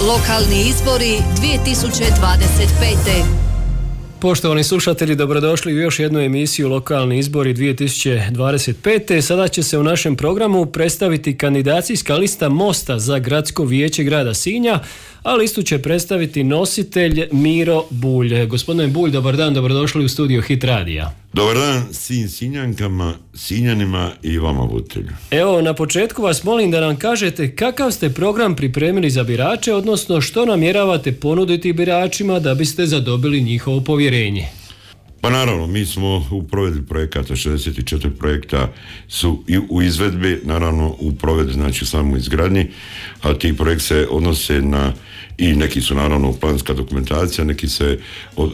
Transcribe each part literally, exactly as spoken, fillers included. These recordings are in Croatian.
Lokalni izbori dvije tisuće dvadeset pete. Poštovani slušatelji, dobrodošli u još jednu emisiju Lokalni izbori dvije tisuće dvadeset pete. Sada će se u našem programu predstaviti kandidacijska lista Mosta za gradsko vijeće grada Sinja, a listu će predstaviti nositelj Miro Bulj. Gospodine Bulj, dobar dan, dobrodošli u studio Hit Radija. Dobar dan svim Sinjankama, Sinjanima i vama voditelju. Evo, na početku vas molim da nam kažete kakav ste program pripremili za birače, odnosno što namjeravate ponuditi biračima da biste zadobili njihovo povjerenje. Pa naravno, mi smo u provedbi projekata, šezdeset četiri projekta su i u izvedbi, naravno u provedbi, znači samo izgradnji, a ti projekti se odnose na, i neki su naravno planska dokumentacija, neki, se,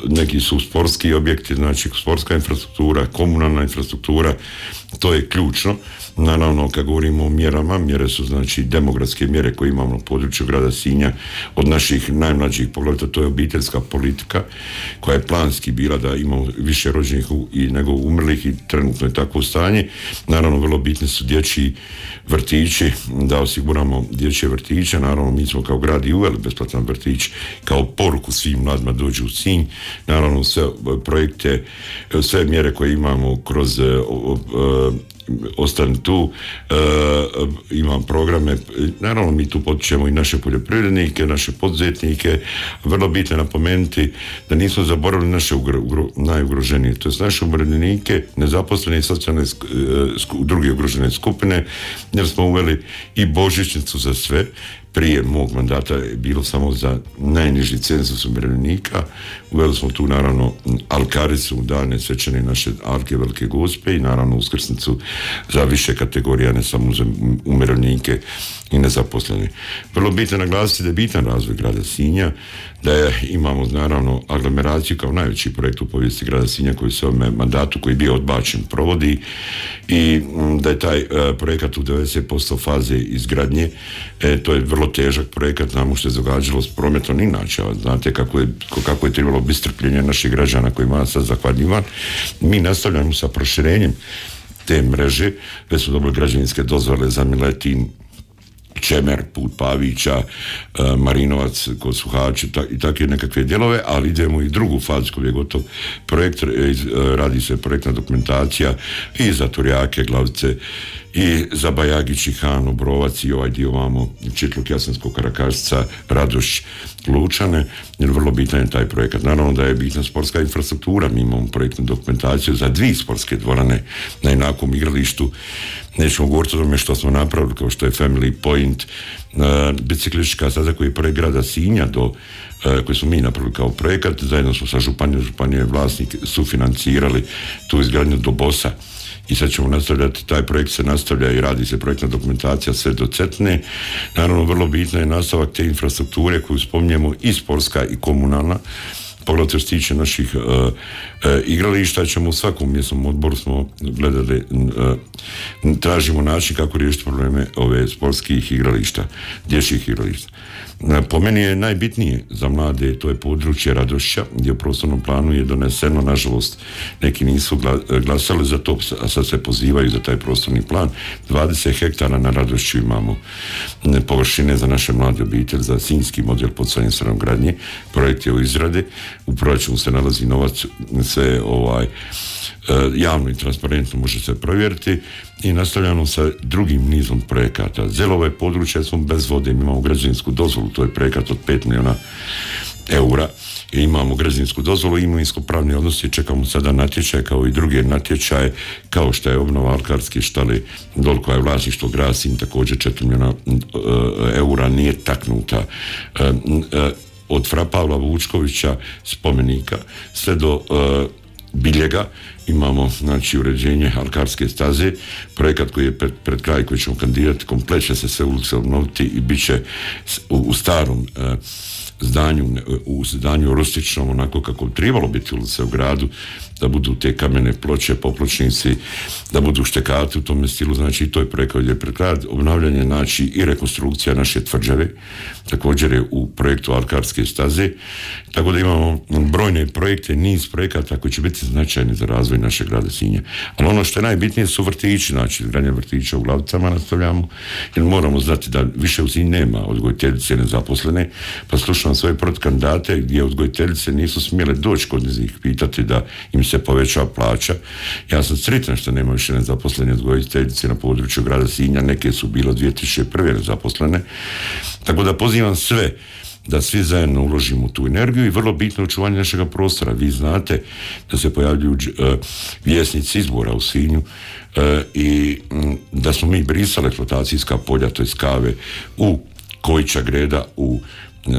neki su sportski objekti, znači sportska infrastruktura, komunalna infrastruktura, to je ključno. Naravno, kad govorimo o mjerama, mjere su znači demografske mjere koje imamo na području grada Sinja, od naših najmlađih poglavito, to je obiteljska politika koja je planski bila da imamo više rođenih i nego umrlih i trenutno je takvo stanje. Naravno, vrlo bitni su dječji vrtići, da osiguramo dječje vrtiće. Naravno, mi smo kao grad i uveli besplatan vrtić kao poruku svim mladima dođu u Sinj. Naravno, sve projekte, sve mjere koje imamo kroz ostani tu, e, imam programe, naravno mi tu potičemo i naše poljoprivrednike, naše poduzetnike, vrlo bitno je napomenuti da nismo zaboravili naše ugro, ugro, najugroženije, to je naše umirovljenike, nezaposlene i socijalne sku, druge ugrožene skupine, jer smo uveli i božićnicu za sve. Prije mog mandata je bilo samo za najniži cenzus umirovljenika. Uveli smo tu naravno alkaricu, dane svečane naše alke Velike Gospe i naravno uskrsnicu za više kategorija, ne samo za umirovljenike i nezaposlene. Vrlo bitno naglasiti da je bitan razvoj grada Sinja, da je, imamo naravno aglomeraciju kao najveći projekt u povijesti grada Sinja koji se u ovome mandatu koji je bio odbačen provodi i da je taj uh, projekat u devedeset posto faze izgradnje. E, to je vrlo težak projekat, znamo što je događalo s prometom inače, znate kako je, kako je trebalo biti strpljenje naših građana kojima sad zahvaljivan. Mi nastavljamo sa proširenjem te mreže, već su dobili građevinske dozvole za Miletin, Čemer, put Pavića, Marinovac, kod Suhača i takve nekakve dijelove, ali idemo i drugu fazu koji je gotov projekt, radi se projektna dokumentacija i za Turjake, Glavice, i za Bajagić i Han, Obrovac i ovaj dio vamo Čitluk, Jasensko, Karakašica, Radoš, Lučane, jer vrlo bitan je taj projekat. Naravno da je bitna sportska infrastruktura, mi imamo projektnu dokumentaciju za dvije sportske dvorane na jednakom igralištu. Nećemo govoriti o tome što smo napravili, kao što je Family Point, uh, biciklistička staza koji je projekt grada Sinja do uh, koji smo mi napravili kao projekat, zajedno smo sa županijom, županije vlasnik sufinancirali tu izgradnju do Bosa. I sad ćemo nastavljati, taj projekt se nastavlja i radi se projektna dokumentacija sve do Cetne. Naravno, vrlo bitno je nastavak te infrastrukture koju spominjemo i sportska i komunalna. Pogledajte što se tiče naših uh, uh, igrališta, ćemo u svakom mjesnom odboru smo gledali, uh, tražimo način kako riješiti probleme ove sportskih igrališta, dječjih igrališta. Po meni je najbitnije za mlade, to je područje Radošća, gdje u prostornom planu je doneseno, nažalost, neki nisu glasali za to, a sad se pozivaju za taj prostorni plan. dvadeset hektara na Radošću imamo površine za naše mlade obitelji, za sinjski model poticanja stanogradnje. Projekt je u izradi, u proračunu se nalazi novac, sve ovaj javno i transparentno može se provjeriti i nastavljamo sa drugim nizom projekata. Zelova je područje, smo bez vode, mi imamo građevinsku dozvolu, to je projekat od pet milijuna eura i imamo građevinsku dozvolu, imovinsko-pravni odnosi, čekamo sada natječaje kao i druge natječaje, kao što je obnova alkarske štale dol koja je vlasništvo grada Sinj, također četiri milijuna eura nije taknuta. Od fra Pavla Vučkovića spomenika sve do Biljega imamo znači uređenje alkarske staze, projekat koji je pred, pred kraj koji ćemo kandidirati, komplet će se sve ulice obnoviti i bit će u, u starom uh, zdanju, u zdanju rustičnom, onako kako bi trebalo biti ulice u gradu, da budu te kamene ploče, popločnici, da budu štekati u tome stilu, znači i to je projekat je pred kraj, obnavljanje znači i rekonstrukcija naše tvrđave, također je u projektu alkarske staze, tako da imamo brojne projekte, niz projekata koji će biti značajni za razvoj našeg grada Sinja. Ali ono što je najbitnije su vrtići, znači izgradnje vrtića u Glavicama nastavljamo, jer moramo znati da više u Sinju nema odgojiteljice nezaposlene, pa slušam svoje protkandidate gdje odgojiteljice nisu smjele doći kod njih pitati da im se poveća plaća. Ja sam sretan što nema više nezaposlene odgojiteljice na području grada Sinja, neke su bilo dvije tisuće prve nezaposlene, tako da pozivam sve da svi zajedno uložimo tu energiju i vrlo bitno očuvanje našega prostora. Vi znate da se pojavljuju uh, vjesnici izbora u Sinju uh, i um, da smo mi brisali eksploatacijska polja, to je kave u Kojića Greda, u uh,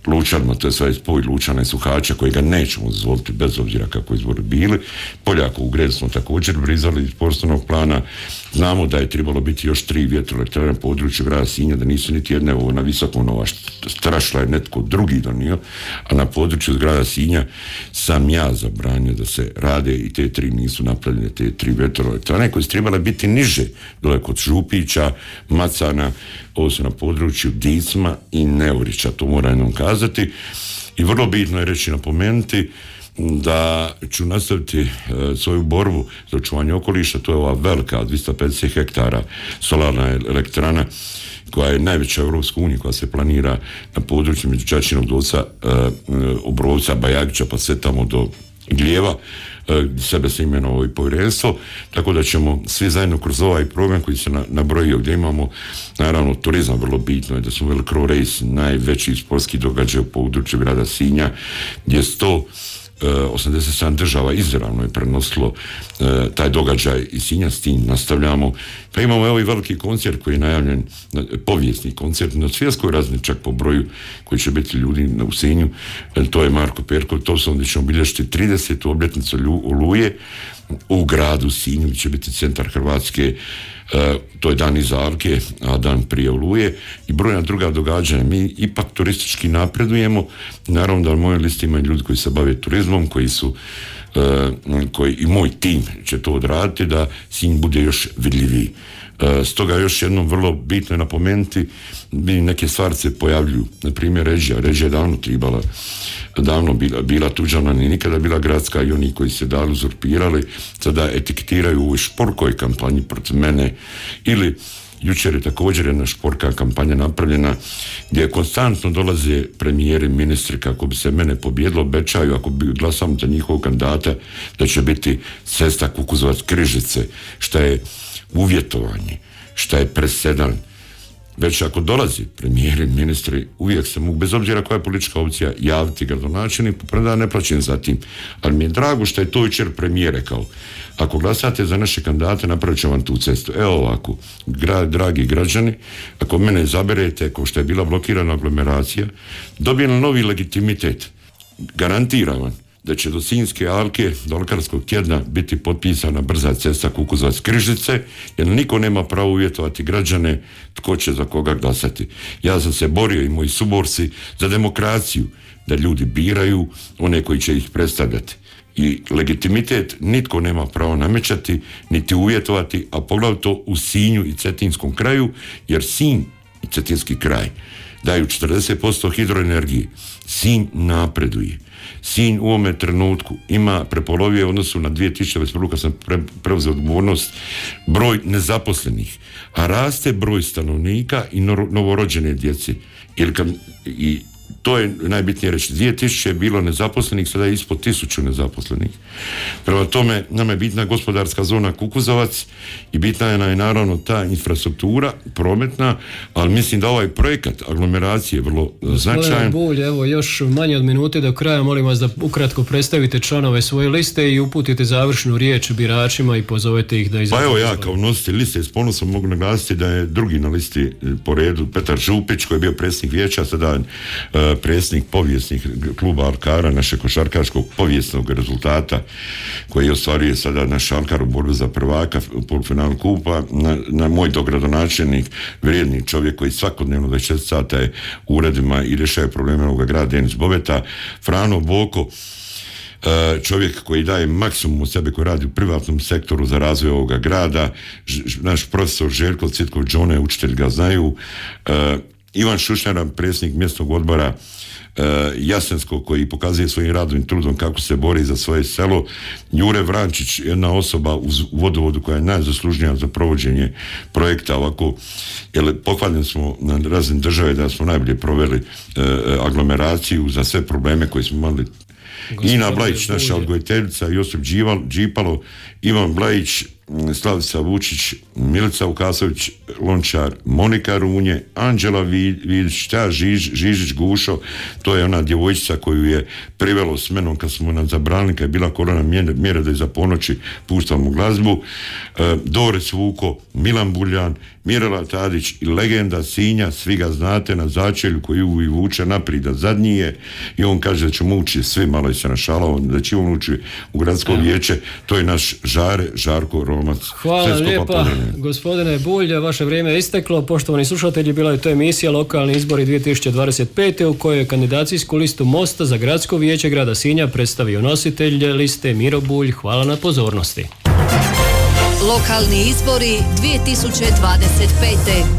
Lučanima, to je sve spoj Lučana i Suhača kojega nećemo dozvoliti bez obzira kako izbori bili. Poljako u Gredu smo također brizali iz prostornog plana. Znamo da je trebalo biti još tri vjetroelektrane na području grada Sinja, da nisu niti jedne ovo na visokom, ova strašla je netko drugi donio, a na području grada Sinja sam ja zabranio da se rade i te tri nisu napravljene, te tri vjetroelektrane koje su trebale biti niže, dole kod Župića, Macana, ovo su na području Dicma i Neurića, to moram jednom kazati. I vrlo bitno je reći, napomenuti da ću nastaviti e, svoju borbu za očuvanje okoliša, to je ova velika dvjesto pedeset hektara solarna elektrana koja je najveća u Europskoj uniji, koja se planira na području među Čačinog Dolca, e, Obrovca, Bajagića, pa sve tamo do Gljeva, sebe se imenovao i povjerenstvo, tako da ćemo svi zajedno kroz ovaj program koji se nabrojio, gdje imamo naravno turizam, vrlo bitno je da smo Velcro Race, najveći sportski događaj u području grada Sinja, gdje sto osamdeset sedam država izravno je prenosilo uh, taj događaj i Sinja, s tim nastavljamo. Pa imamo ovaj veliki koncert koji je najavljen, povijesni koncert na svjetskoj razini, čak po broju koji će biti ljudi u Sinju, to je Marko Perkov, to su onda ćemo obilježiti tridesetu obljetnicu Oluje u gradu Sinju, gdje će biti centar Hrvatske. Uh, to je dan iza Alke, a dan prije Oluje i brojna druga događanja. Mi ipak turistički napredujemo, naravno da na mojoj listi imaju ljudi koji se bave turizmom, koji su uh, koji i moj tim će to odraditi da Sinj bude još vidljiviji. Uh, stoga još jednom vrlo bitno je napomenuti, neke stvari se pojavljuju, na primjer Režija, Režija je davno tribala, davno bila, bila tuđana, ni nikada bila gradska, i oni koji se dali uzurpirali sada etiketiraju u ovoj šporkoj kampanji protiv mene. Ili jučer je također jedna šporka kampanja napravljena gdje konstantno dolaze premijeri, ministri kako bi se mene pobijedilo, obećaju ako bi glasamo za njihovog kandidata da će biti cesta Kukuzovac-Križice, šta je uvjetovanje, šta je presedan. Već ako dolazi premijeri, ministri, uvijek se mogu, bez obzira koja je politička opcija, javiti gradonačelniku, premda ne plaćam za tim. Ali mi je drago što je to jučer premijer rekao. Ako glasate za naše kandidate, napravit ću vam tu cestu. Evo ovako, gra, dragi građani, ako mene izaberete, kao što je bila blokirana aglomeracija, dobijem novi legitimitet. Garantiram vam da će do Sinjske alke, do Alkarskog tjedna biti potpisana brza cesta Kukuzovac-Križice, jer niko nema pravo uvjetovati građane tko će za koga glasati. Ja sam se borio i moji suborci za demokraciju, da ljudi biraju one koji će ih predstavljati. I legitimitet nitko nema pravo namećati, niti uvjetovati, a poglavito u Sinju i Cetinskom kraju, jer Sinj i Cetinski kraj daju četrdeset posto hidroenergije. Sinj napreduje. Sinj u ovome trenutku ima prepolovije u odnosu na dvije tisuće dvadeset prvu kad sam pre, preuzeo odgovornost broj nezaposlenih, a raste broj stanovnika i novorođene djece. Jer kad, i to je najbitnije reći, dvije tisuće je bilo nezaposlenih, sada je ispod tisuću nezaposlenih. Prema tome, nama je bitna gospodarska zona Kukuzovac i bitna je naravno ta infrastruktura prometna, ali mislim da ovaj projekat aglomeracije je vrlo značajan. Bulj, evo još manje od minute do kraja, molim vas da ukratko predstavite članove svoje liste i uputite završnu riječ biračima i pozovete ih da izađu. Pa evo ja kao nositelj liste s ponosom mogu naglasiti da je drugi na listi po redu Petar Župić koji je bio predsjednik vijeća, sada uh, predsjednik povijesnih kluba Alkara, našeg košarkaškog povijesnog rezultata koji ostvaruje sada naš Alkar u borbi za prvaka u polufinalu kupa, na, na moj dogradonačelnik, vrijedni čovjek koji svakodnevno dvadeset četiri sata je u uredima i rješava probleme ovoga grada, Denis Bobeta, Frano Boko, čovjek koji daje maksimum od sebe, koji radi u privatnom sektoru za razvoj ovoga grada, naš profesor Željko Citkov Džone, učitelj ga znaju, Ivan Šušnjara, predsjednik mjesnog odbora Jasensko, koji pokazuje svojim radom i trudom kako se bori za svoje selo. Jure Vrančić, jedna osoba u vodovodu koja je najzaslužnija za provođenje projekta ovako, jer pohvaljeni smo na razini države da smo najbolje proveli e, aglomeraciju za sve probleme koje smo imali. Gospodine Ina Blajić, naša odgojiteljica, Josip Džival, Džipalo, Ivan Blajić, Slavica Vučić, Milica Vukasović, Lončar, Monika Runje, Anđela Vidić, ta Žiž, Žižić Gušo, to je ona djevojčica koju je privelo s menom kad smo nam zabranili, kad je bila korona mjera da je za ponoći puštamo glazbu, e, Dorec Vuko, Milan Buljan, Mirela Tadić i legenda Sinja, svi ga znate, na začelju koji uvijek vuče naprijed, da zadnji je, i on kaže da ćemo ući svi, malo je se našalao, da će on ući u gradsko vijeće, to je naš Žare, Žarko Romac. Hvala lijepa, gospodine Bulj, vaše vrijeme je isteklo. Poštovani slušatelji, bila je to emisija Lokalni izbori dvije tisuće dvadeset pete u kojoj je kandidacijsku listu Mosta za gradsko vijeće grada Sinja predstavio nositelj liste Miro Bulj. Hvala na pozornosti. Lokalni izbori dvije tisuće dvadeset pete.